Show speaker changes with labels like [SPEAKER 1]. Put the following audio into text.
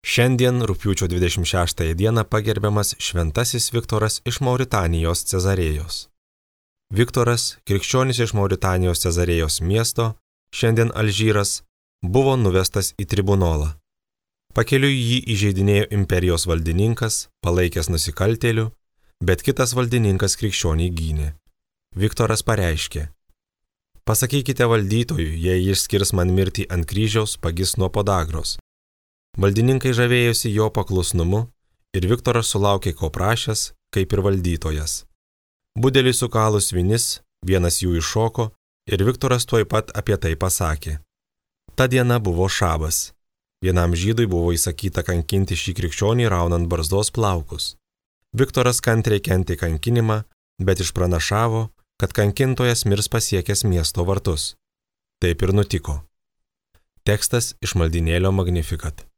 [SPEAKER 1] Šiandien, rugpjūčio 26 dieną, pagerbiamas šventasis Viktoras iš Mauritanijos Cezarėjos. Viktoras, krikščionis iš Mauritanijos Cezarėjos miesto, šiandien Alžyras, buvo nuvestas į tribunolą. Pakeliui jį įžeidinėjo imperijos valdininkas, palaikęs nusikaltėlių, bet kitas valdininkas krikščionį gynė. Viktoras pareiškė: "Pasakykite valdytojui, jei jis skirs man mirtį ant kryžiaus, pagis nuo podagros." Valdininkai žavėjosi jo paklusnumu ir Viktoras sulaukė ko prašęs, kaip ir valdytojas. Budeliui sukalus vinis, vienas jų iššoko ir Viktoras tuoj pat apie tai pasakė. Ta diena buvo šabas. Vienam žydui buvo įsakyta kankinti šį krikščionį raunant barzdos plaukus. Viktoras kantriai kentė kankinimą, bet išpranašavo, kad kankintojas mirs pasiekęs miesto vartus. Taip ir nutiko. Tekstas iš maldynėlio Magnificat.